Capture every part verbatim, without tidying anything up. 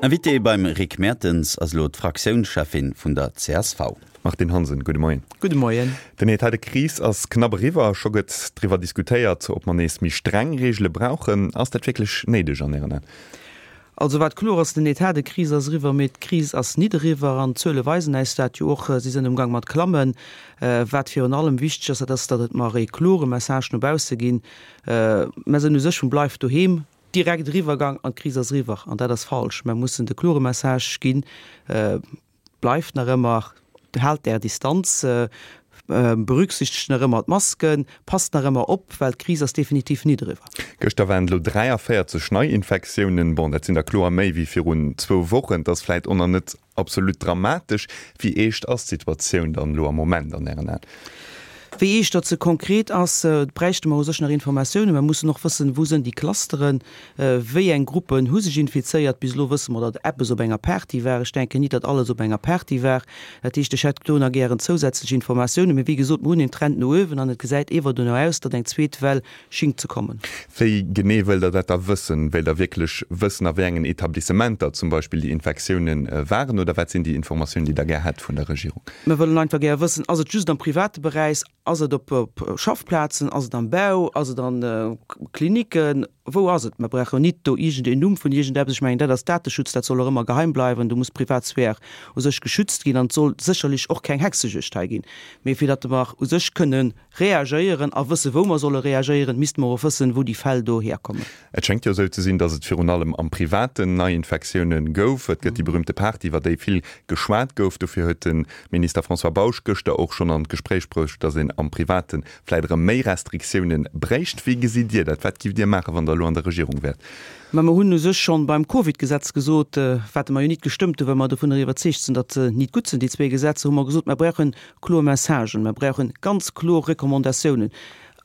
Invité beim Rick Mertens ass elo d'Fraktiounscheffin vun der C S V. Martine Hansen, gudde Moien. Gudde Moien. Den Etat de crise ass knapp eriwwer, scho gëtt driwwer diskutéiert, ob mer nees méi streng Reegele brauchen. Ass dat wierklech néideg an Ären Aen? Also wat kloer ass, den Etat de crise ass eriwwer, mee d'Kris ass nit eriwwer an d'Zuele weisen äis dat jo och, si sinn amgang mat klammen. Wat virun allem wichteg ass, dat ass, datt et mer ee klore Message no bausse ginn. Mer sinn u sech vum Bleif doheem direkt eriwwergang an d'Kris ass eriwwer an dat ass falsch. Mer mussen de klore Message ginn, bleift nach ëmmer, haalt är Distanz, berücksichtegt nach ëmmer d'Masken, passt nach ëmmer op, well d'Kris ass definitiv nit eriwwer. Gëschter waren et elo dräiavéierzeg Neiinfektiounen. Bon, dat sinn der kloer méi wéi virun zwou Wochen. Dat ass vläit och nach net absolut dramatesch. Wéi eescht ass d'Situatioun dann elo am Moment an Ären Aen? Wéi eescht datt se konkret ass, bräichte mer u sech nach Informatiounen. Mer mussen och wëssen, wou sënn déi Clusteren, wéi eng Gruppen hu sech infizéiert. Bis elo wësse mer, datt eppes op enger Party war. Ech denken nit, datt alles op enger Party war. Dat heescht, ech hätt do nach gären zousätzlech Informatiounen. Mee wéi gesot, mer hunn een Trend no uewen an et gesäit ewer dono aus, datt eng zweet Well schingt ze kommen. Wéi genee wëllt Der dat da wëssen? Wéilt Der wierklech wëssen, a wéi engen Etablissementer zum Beispill déi Infektiounen waren oder wat sinn déi Informatiounen, déi Der gär hätt vun der Regierung? Mer wëllen einfach gär wëssen, ass et just am private Beräich, ass et op Schaffplazen, ass et am Bau, ass et an Klinicken, wou ass et? Mer brauchen nit do iergendeen Numm vun iergendeppes. Ech mengen, dat ass Dateschutz, dat soll och ëmmer geheim bleiwen, do muss d'Privatsphär u sech geschützt ginn an et soll sécherlech och keng Hexejuegd hei ginn. Mee fir datt mer u sech kënne reagéieren a wësse wou mer solle reagéieren, misste mer och wëssen, wou déi Fäll do hierkommen. Et schéngt jo esou ze sinn, datt et virun allem am Privaten Neiinfektioune gouf. Et gëtt déi berühmte Party, iwwer déi vill geschwat gouf. Dofir huet de Minister François Bausch gëschter och schonn an d'Gespréich bruecht, datt een am Private vläit erëm méi Restriktioune bréicht. Wéi gesitt Dir dat? Wat giff Dir maachen, wann Der elo an der Regierung wäert? Mä mer hunn u sech schonn beim Covid-Gesetz gesot, wat mer jo nit gestëmmt hunn, well mer dovunner iwwerzeegt sinn, datt se nit gutt sinn, déi zwee Gesetzer, hu mer gesot, mer brauche kloer Messagen, mer brauche ganz kloer Recommandatiounen.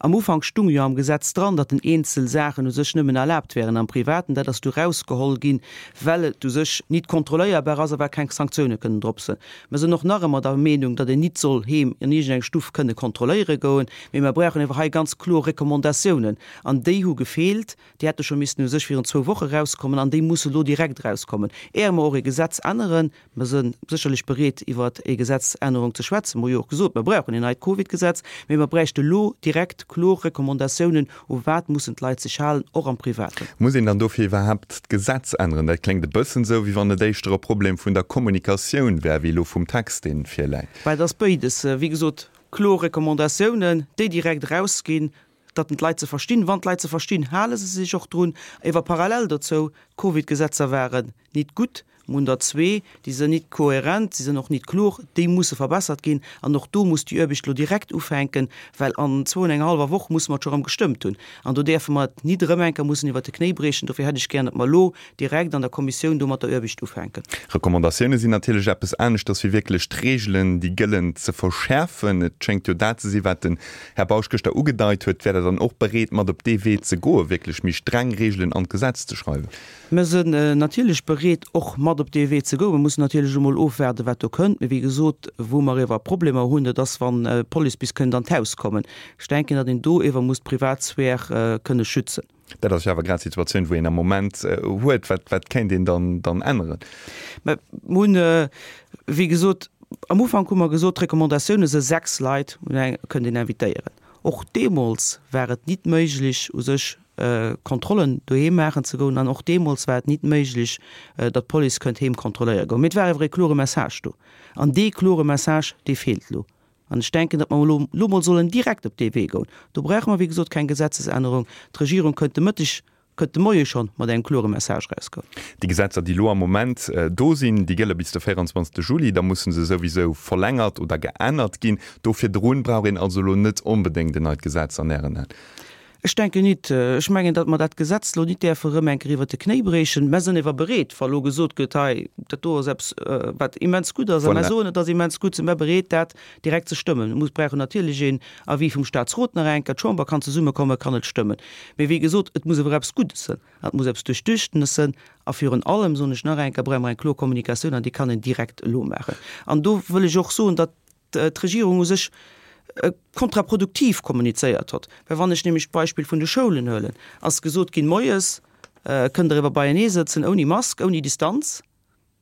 Am Ufank stung jo am Gesetz dran, datt en eenzel Saachen u sech nëmmen erlaabt wären am Privaten. Dat ass du rausgeholl ginn, well et u sech nit kontrolléierbar ass a well keng Sanktioune kënnen drop sinn. Mer sinn och nach ëmmer der Meenung, datt een nit soll heem an iergendeng Stuff kënne kontrolléiere goen, mee mer brauchen ewer hei ganz kloer Recommandatiounen. An déi hu gefeelt. Déi hätte scho missten u sech virun zwou Woche rauskommen an déi musse lo direkt rauskommen, éier mer och e Gesetz änneren. Mer si sécherlech bereet, iwwer e Gesetzännerung ze schwätzen. Mer hu jo och gesot, mer brauchen en neit Covid-Gesetz, mee mer bräichte lo direkt kloer Recommandatiounen, u wat mussen d'Leit sech halen, och am Privaten. Muss een dann dofir iwwerhaapt d'Gesetz änneren? Dat kléngt e bëssen esou, wéi wann et éischter e Problem vun der Kommunikatioun wär, wéi elo vum Text, dee virläit. Bah, et ass béides. Wéi gesot, kloer Recommandatiounen, déi direkt erausginn, datt en d'Leit se verstinn. Wann d'Leit se verstinn, hale se sech och drun. Ewer parallel dozou, d'Covid-Gesetzer waren nit gutt, mer hunn der zwee, déi sinn nit kohärent, si sinn och nit kloer, déi musse verbessert ginn. An och do muss déi Aarbecht elo direkt ufänken, well an zwou an enger hallwer Woch musse mer et scho erëm gestëmmt hunn. An do däerfe mer et nit erëm eng Kéier mussen iwwert de Knéi briechen. Dofir hätt ech gär, datt mer elo direkt an der Kommissioun do mat der Aarbecht ufänken. Recommandatioune sinn natierlech eppes aneschters wéi wierklech d'Reegelen, déi gëllen, ze verschäerfen. Et schéngt jo dat ze sinn, wat den Här Bausch gëschter ugedeit huet. Wäert Der dann och bereet, mat op dee Wee ze goen, wierklech méi streng Reegelen an d'Gesetz ze schreiwen? Mer sinn natierlech bereet, och mat op dee Wee ze goen. Mer mussen natierlech emol ofwaarden, wat do kënnt. Mee wéi gesot, wou mer ewer Problemer hunn, dat ass, wann d'Police bis kënnt an d'Haus kommen. Ech denken, datt een do ewer muss d'Privatsphär kënne schützen. Dat ass jo awer grad d'Situatioun, wou een am Moment huet. Wat, wat kéint een dann, dann änneren? Mer hunn, wéi gesot, am Ufank hu mer gesot, d'Recommandatioune se sechs Leit kënnt een invitéieren. Och deemools war et nit méiglech u sech Kontrollen doheem maachen ze goen an och deemools war et nit méiglech, datt d'Police kënnt heem kontrolléiere goen. Mee et war awer e klore Message do. An dee klore Message, dee feelt elo. An ech denken, datt mer elo elo mol sollen direkt op dee Wee goen. Do brauche mer, wéi gesot, keng Gesetzesännerung. D'Regierung kënnt de Mëtteg kënnt de Moie schonn mat engem klore Message erausgoen. Déi Gesetzer, déi elo am Moment do sinn, déi gëlle bis de véierundzwanzegste Juli. Da musse se souwisou verlängert oder geännert ginn. Do virdrun brauch een also elo net onbedéngt en neit Gesetz an Ären Aen? Ech denken nit. Ech mengen, datt mer dat Gesetz elo nit däerfe erëm eng Kéier iwwert de Knéi briechen. Mer sinn ewer bereet, wa elo gesot gëtt, hei, dat do ass eppes, wat immens gutt ass, a mer soen, et ass immens gutt, si mer bereet, dat direkt ze stëmmen. Et muss brauchen natierlech een Avis vum Statsrot nach eng Kéier, d'Chamber kann zesummekommen, kann et stëmmen. Mee wéi gesot, et muss ewer eppes Guddes sënn, an et muss eppes Duerchduchtenes sënn, a virun allem, soen ech nach eng Kéier, brauche mer eng kloer Kommunikatioun, an déi kann een direkt elo maachen. An do wëll ech och soen, datt d'Regierung u sech kontraproduktiv kommunizéiert hott. Well wann ech nämlech d'Beispill vun de Schoulen huelen, ass gesot ginn, moies kënnt Der ewer beienee sëtzen ouni Mask, ouni Distanz.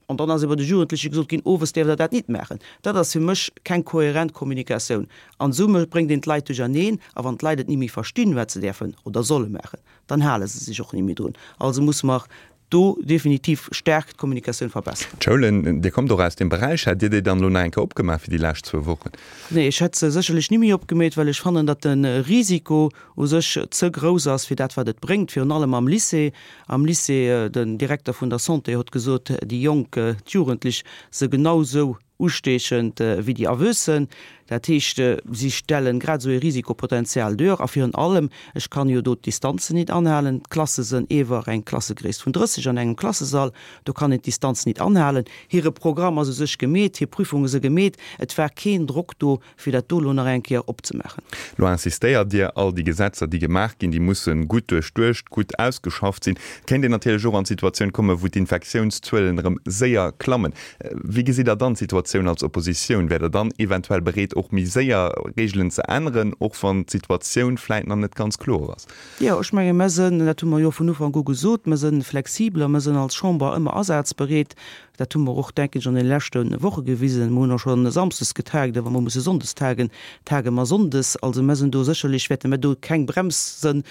An dann ass iwwer de Jugendleche gesot ginn, Owes däerft Der dat nit maachen. Dat ass fir mech keng kohärent Kommunikatioun. An esou bréngt een d'Leit duercherneen. A wann d'Leit et ni méi verstinn, wat se däerfen oder solle maachen, dann hale se sech och ni méi drun. Also musse mer do definitiv staark d'Kommunikatioun verbesseren. D'Schoulen, Dir kommt och aus deem Beräich, hätt Dir déi dann elo nach eng Kéier opgemaach fir déi lescht zwou Wochen? Nee, ech hätt se sécherlech ni méi opgemeet, well ech fannen, datt de Risiko u sech ze grouss ass fir dat, wat et bréngt, virun allem am Lycée. Am Lycée, den Direkter vun der Santé huet gesot, déi Jonk, d'Jugendlech se genau sou usteechend wéi déi Erwuessen. Dat heescht, si stellen grad esou ee Risikopotenzial duer. A virun allem, ech kann jo do d'Distanzen nit anhalen. D'Klasse sënn ewer eng Klassegréisst vun drësseg an engem Klassesall. Do kann een d'Distanz nit anhalen. Hire Programm ass u sech gemeet, hir Prüfunge se gemeet. Et war keen Drock do, fir dat do elo nach eng Kéier opzemaachen. Lo insistéiert Dir, all déi Gesetzer, déi gemaach ginn, déi musse gutt duerchduecht, gutt ausgeschafft sinn. Et kéint een natierlech och an d'Situatioun kommen, wou d'Infektiounszuelen erëm séier klammen. Wéi gesitt Der dann d'Situatioun als Oppositioun? Wäert Der dann eventuell bereet, och méi séier Reegelen ze änneren, och wann d'Situatioun vläit nach net ganz kloer ass? Jo, ech menge mer sënn, dat hu mer jo vun Ufank u gesot, mer sënn flexibel a mer sënn als Chamber ëmmer asazbereet. Dat hu mer och, denken ech, an deene leschte Woche gewisen. Mer hunn och schonn samsdes getagt, a wa mer musse sonndes tagen, tage mer sonndes. Also mer sinn do sécherlech, wäerte mer do keng Brems sënn,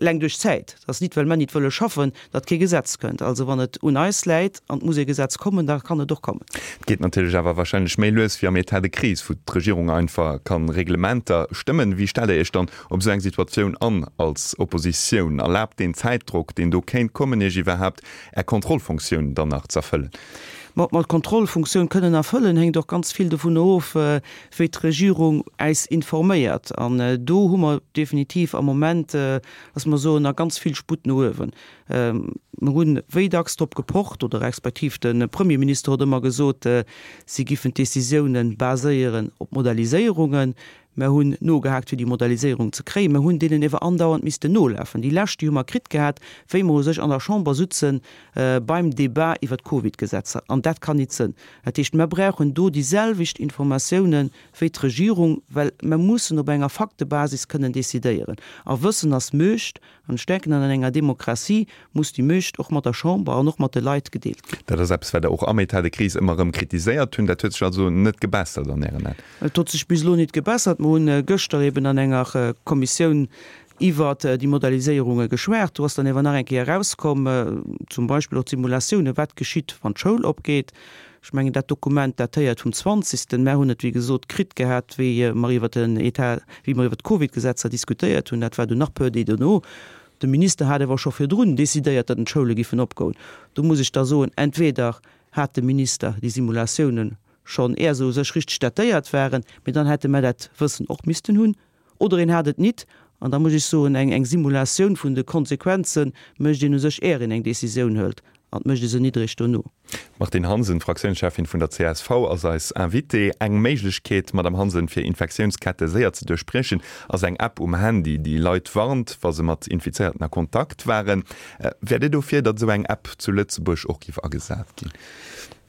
eleng duerch d'Zäit. Et ass nit, well mer nit wëlle schaffen, datt kee Gesetz kënnt. Also wann et un eis läit an et muss ee Gesetz kommen, da kann et och kommen. Et geet natierlech awer wahrscheinlech méi lues wéi am État de crise, wou d'Regierung einfach ka Reglementer stëmmen. Wéi stellt Der Iech dann op esou eng Situatioun an als Oppositioun? Erlaabt deen Zäitdrock, deen do kéint kommen, Iech iwwerhaapt Är Kontrollfunktioun dann nach z'erfëllen? Ma ob mer d'Kontrollfunktioun kënnen erfëllen, hänkt och ganz vill dovun of, wéi d'Regierung äis informéiert. An do hu mer definitiv am Moment, lass mer soen, nach ganz vill Sputt no uewen. Mer hunn wéi dacks drop gepocht, oder respektiv de Premierminister huet ëmmer gesot, si giffen d'Décisiounen baséieren op Modelliséierungen. Mer hunn nogehaakt, fir déi Modelliséierung ze kréien. Mer hunn deenen ewer andauernd missten nolafen. Déi lescht, déi hu mer kritt gehat, wéi mer u sech an der Chamber sutze beim Débat iwwert d'Covidgesetzer. An dat kann nit sënn. Dat heescht, mer brauchen do déi selwecht Informatiounen wéi d'Regierung, well mer mussen op enger Faktebasis kënnen decidéieren. A Wëssen ass Muecht. An ech denken, an enger Demokratie muss déi Muecht och mat der Chamber an och mat de Leit gedeelt ginn. Dat ass eppes, wat Der och am État de crise ëmmer erëm kritiséiert hunn. Dat huet sech also net gebessert an Ären Aen? Et huet sech bis elo net gebessert. Mer hunn gëschter eben an enger Kommissioun iwwert déi Modelliséierunge geschwat. Do ass dann ewer nach eng Kéier erauskomm, zum Beispill och d'Simulatiounen, wat geschitt, wann d'Schoul opgeet. Ech mengen, dat Dokument datéiert vum zwanzigsten. Mer hunn et, wéi gesot, kritt gehat, wéi mer iwwert den État, wéi mer iwwert d'Covidgesetzer diskutéiert hunn. Dat war dunn nach peu Deeg dono. De Minister hat awer scho virdrun decidéiert, datt d'Schoule giffen opgoen. Do muss ech da soen, entweder hat de Minister déi Simulatiounen schonn, éier se u sech richteg datéiert waren, mee dann hätte mer dat Wëssen och missten hunn, oder en hat et nit. An da muss ech soen, eng eng Simulatioun vun de Konsequenze mécht een u sech, éier een eng Décisioun hëlt, an et mécht ee se nit eréischt dono. D'Martine Hansen, Fraktiounscheffin vun der csv, ass eis Invitée. Eng Méiglechkeet, Madame Hansen, fir Infektiounskette séier ze duerchbriechen, ass eng App um Handy, déi Leit warnt, wa se mat Infizéierten a Kontakt waren. Wäert Dir dofir, datt esou eng App zu Lëtzebuerg och géif agesat ginn?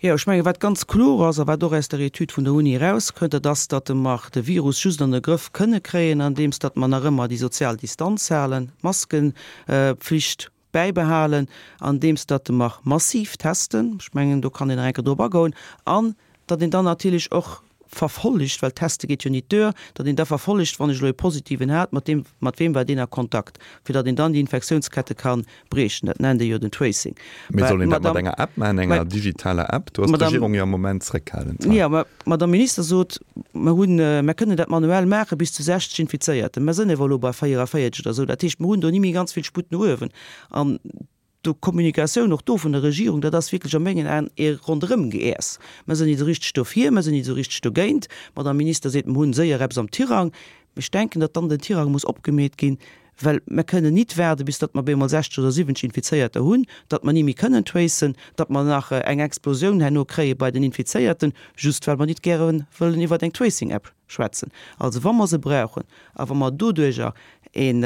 Jo, ech mengen, wat ganz kloer ass a wat och aus der Etüd vun der Uni erauskënnt, dat ass, datt mer de Virus just an de Grëff kënne kréien, andeems datt mer nach ëmmer déi sozial Distanz halen, d'Maskenpflicht bäibehalen, andeems datt mer massiv testen, ech mengen, do kann een nach eng Kéier drop agoen, an datt een dann natierlech och verfollegt, well teste geet jo nit duer, datt een da verfollegt, wann ech elo e Positiven hat, mat deem, mat weem war deen a Kontakt, fir datt een dann déi Infektiounskette ka briechen. Dat nennt ee jo den Tracing. Mee soll een dat mat enger App maachen, enger digitaler App? Do ass d'Regierung jo am Moment zréckhalend. Jo, mä d'Madame Minister sot, mer hunn, mer kënnen dat manuell maache bis zu sechzeg Infizéierten. Mer sënn ewer elo bei véierunvéierzeg oder esou. Dat heescht, mer hunn do ni méi ganz vill Sputt no uewen. An d'Kommunikatioun och do vun der Regierung, dat ass wierklech a mengen Aen ee Ronderëmgeäers. Mer sinn nit esou richteg dofir, mer sinn nit esou richteg dogéint. D'Madame Minister seet, mer hunn séier eppes am Tirang. Mee ech denken, datt dann den Tirang muss opgemeet ginn, well mer kënnen nit waarde bis datt mer op eemol sechzeg oder siwwenzeg Infizéierter hunn, datt mer ni méi kënnen tracen, datt mer nach eng Explosioun herno kréie bei den Infizéierten, just well mer nit gäre wëllen iwwert eng Tracing-App schwätzen. Also wa mer se brauchen a wa mer doduerjer een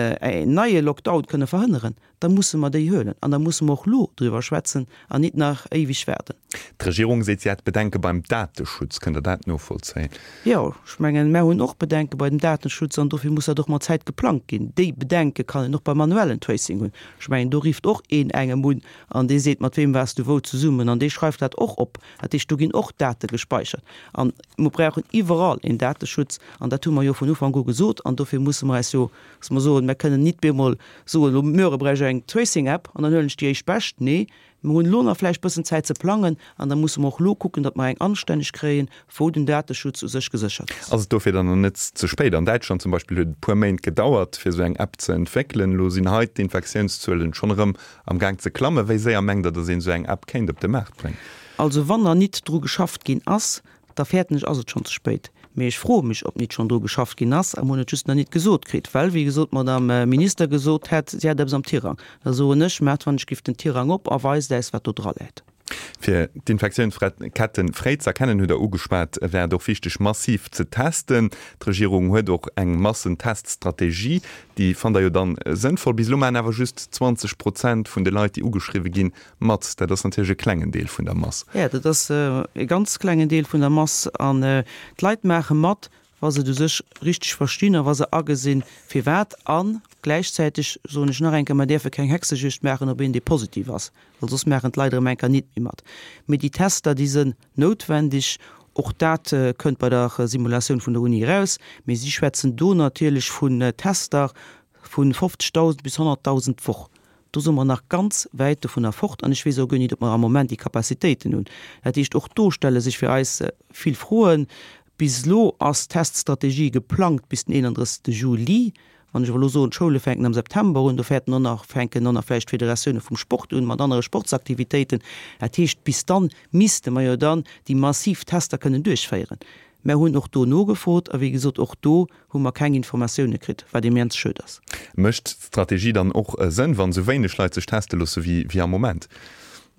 neie Lockdown kënne verhënneren, da musse mer déi huelen an da musse mer och elo driwwer schwätzen an nit nach éiweg waarden. D'Regierung seet, si hätt Bedenke beim Dateschutz. Kënnt Der dat novollzéien? Jo, ech mengen, mär hunn och Bedenke bei dem Datenschutz an dofir muss dat och mat Zäit geplangt ginn. Déi Bedenke kann een och beim manuellen Tracing hunn. Ech mengen, do rifft och een engem un an dee seet, mat weem waars du wou zesummen an dee schreift dat och op. Dat heescht, do ginn och Date gespeichert. An mer brauchen iwwerall een Dateschutz an dat hu mer jo vun Ufank u gesot an dofir musse mer eis jo, dass mer soen, mer kënnen nit bemol soen, elo muere bräuch ech eng Tracing-App an dann huelen ech déi éischt bescht. Nee, mer hunn elo nach vläicht bëssen Zäit ze plangen an da musse mer och elo kucken, datt mer eng anstänneg kréien, wou den Dateschutz u sech geséchert ass. Ass et dofir dann nach net ze spéit? An Däitschland zum Beispill huet et e puer Méint gedauert, fir esou eng App ze entwéckelen. Elo sinn hei d'Infektiounszuelen schonn erëm am Gaang ze klammen. Wéi séier mengt Der, datt een esou eng App kéint op de Maart bréngen? Also wann nach nit dru geschafft ginn ass, da fäerten ech, ass et schonn ze spéit. Mee ech froe mech, ob nit schonn dru geschafft ginn ass a mer hunn et just nach nit gesot kritt, well, wéi gesot, d'Madame Minister gesot hätt, si hätt eppes am Tirang. Da soen ech, Maacht wann ech giff den Tirang op a weist äis, wat do dra läit. Fir d'Infektiounsketten fréi ze erkennen, hutt Der ugeschwat, wär et och wichteg, massiv ze testen. D'Regierung huet och eng Massenteststrategie. Déi fannt Der jo dann sënnvoll. Bis elo maachen awer just zwanzeg Prozent vun de Leit, déi ugeschriwwe ginn, mat. Dat ass natierlech e klengen Deel vun der Mass. Jo, dat ass e ganz klengen Deel vun der Mass. An d'Leit maache mat, wa se et u sech richteg verstinn a wa se agesinn, firwat. A gläichzäiteg soen ech nach eng Kéier, mer däerfe keng Hexejuegd maachen op een, dee positiv ass, well soss maachen d'Leit erëm eng Kéier nit méi mat. Mee déi Tester, déi sinn noutwendeg. Och dat kënnt bei der Simulatioun vun der Uni eraus. Mee si schwätzen do natierlech vun Tester vu fofzegdausend bis honnertdausend d'Woch. Do si mer nach ganz wäit dovunner fort an ech weess och guer nit, ob mer am Moment déi Capacitéiten hunn. Dat heescht, och do stelle sech fir eis vill Froen. Bis elo ass d'Teststrategie geplangt bis den eenandrëssegste Juli. Wann ech awer elo soen, d'Schoule fänken am September un, do fäerten och nach, fänken och nach vläicht d'Federatioune vum Sport un mat anere Sportsaktivitéiten. Dat heescht, bis dann misste mer jo dann déi massiv Tester kënnen duerchféieren. Mer hunn och do nogefrot a wéi gesot, och do hu mer keng Informatioune kritt, wat immens schued ass. Mécht d'Strategie dann och Sënn, wann esou wéineg Leit sech teste loosse wéi am Moment?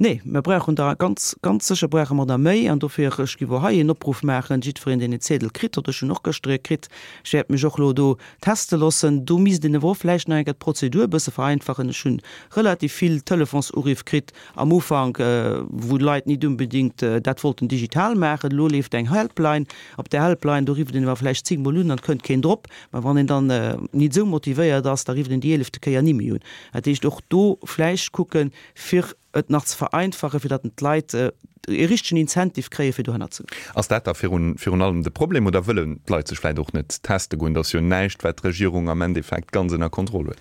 Nee, mer brauchen der ganz, ganz sécher brauche mer der méi. An dofir, ech géif och hei een Opruff maachen, jiddwereen, deen en Ziedel kritt huet, ech hunn och gëschter ee kritt, ech wäert mech och elo do teste loossen. Do misst een awer och vläicht nach eng Kéier d'Prozedur e bësse vereinfachen. Ech hu relativ vill Telefonsuriff kritt am Ufank, wou d'Leit nit unbedéngt dat wollten digital maachen. Elo leeft eng Helpline. Op där Helpline, do rifft een awer vläicht zéngmol un an et kënnt keen drop. Mä wann een dann nit esou motivéiert ass, da rifft een déi eelefte Kéier ni méi un. Dat heescht, och do vläicht kucken, fir et nach ze vereinfachen, fir datt d'Leit e richtegen Incentive kréien, fir dohinner ze goen. Ass dat da virun virun allem de Problem oder wëllen d'Leit sech vläicht och net teste goen? Dat ass jo näischt, wat d'Regierung am Endeffekt ganz ënner Kontroll huet.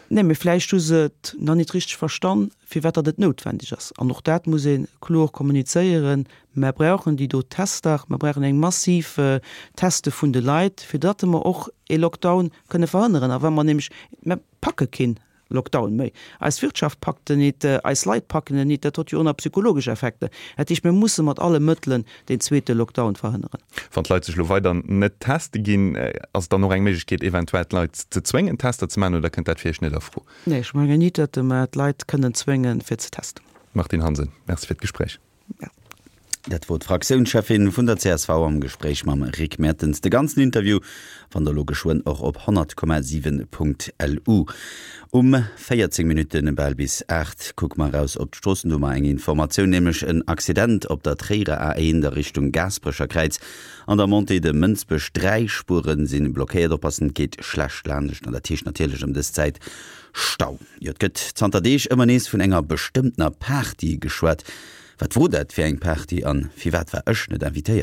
Nee, mee vläicht hu se et nach net richteg verstan, firwat datt et noutwendeg ass. An och dat muss ee kloer kommunizéieren, Mer brauchen déi do Tester, mer brauchen eng massiv Teste vun de Leit, fir datt mer och ee Lockdown kënne verhënneren. A wa mer nämlech, mer packe keen Lockdown méi. Eis Wirtschaft packt en nit, eis Leit packen en nit, dat huet jo och nach psychologesch Effekter. Dat heescht, mir musse mat alle Mëttelen deen zweete Lockdown verhënneren. Wann d'Leit sech elo weider net teste ginn, ass et dann och eng Méiglechkeet eventuell d'Leit ze zwéngen Tester ze maachen oder kënnt dat fir Iech net a Fro? Nee, ech mengen nit, datt mer d'Leit kënnen zwéngen fir ze testen. Martine Hansen, Merci fir d'Gespréich. Dat wor d'Fraktiounscheffin vun der csv am Gespréich mam Rick Mertens. De ganzen Interview fannt der elo geschwënn och op honnert Komma siwen Punkt lu. Um véierzéng Minutte bal bis aacht kucke mer eraus op d'Stroossen. Do hu mer eng Informatioun, nämlech en Accident op der Tréierer A eent a Richtung Gaasperecher Kräiz an der Montée de Mënsbech. Dräi Spuere si blockéiert. Oppassen, et geet schlecht laanscht an dat heescht natierlech ëm dës Zäit Stau. Jo, et gëtt zanter Deeg ëmmer nees vun enger bestëmmtener Party geschwat. Wat wor dat fir eng Party an firwat war ech net invitéiert?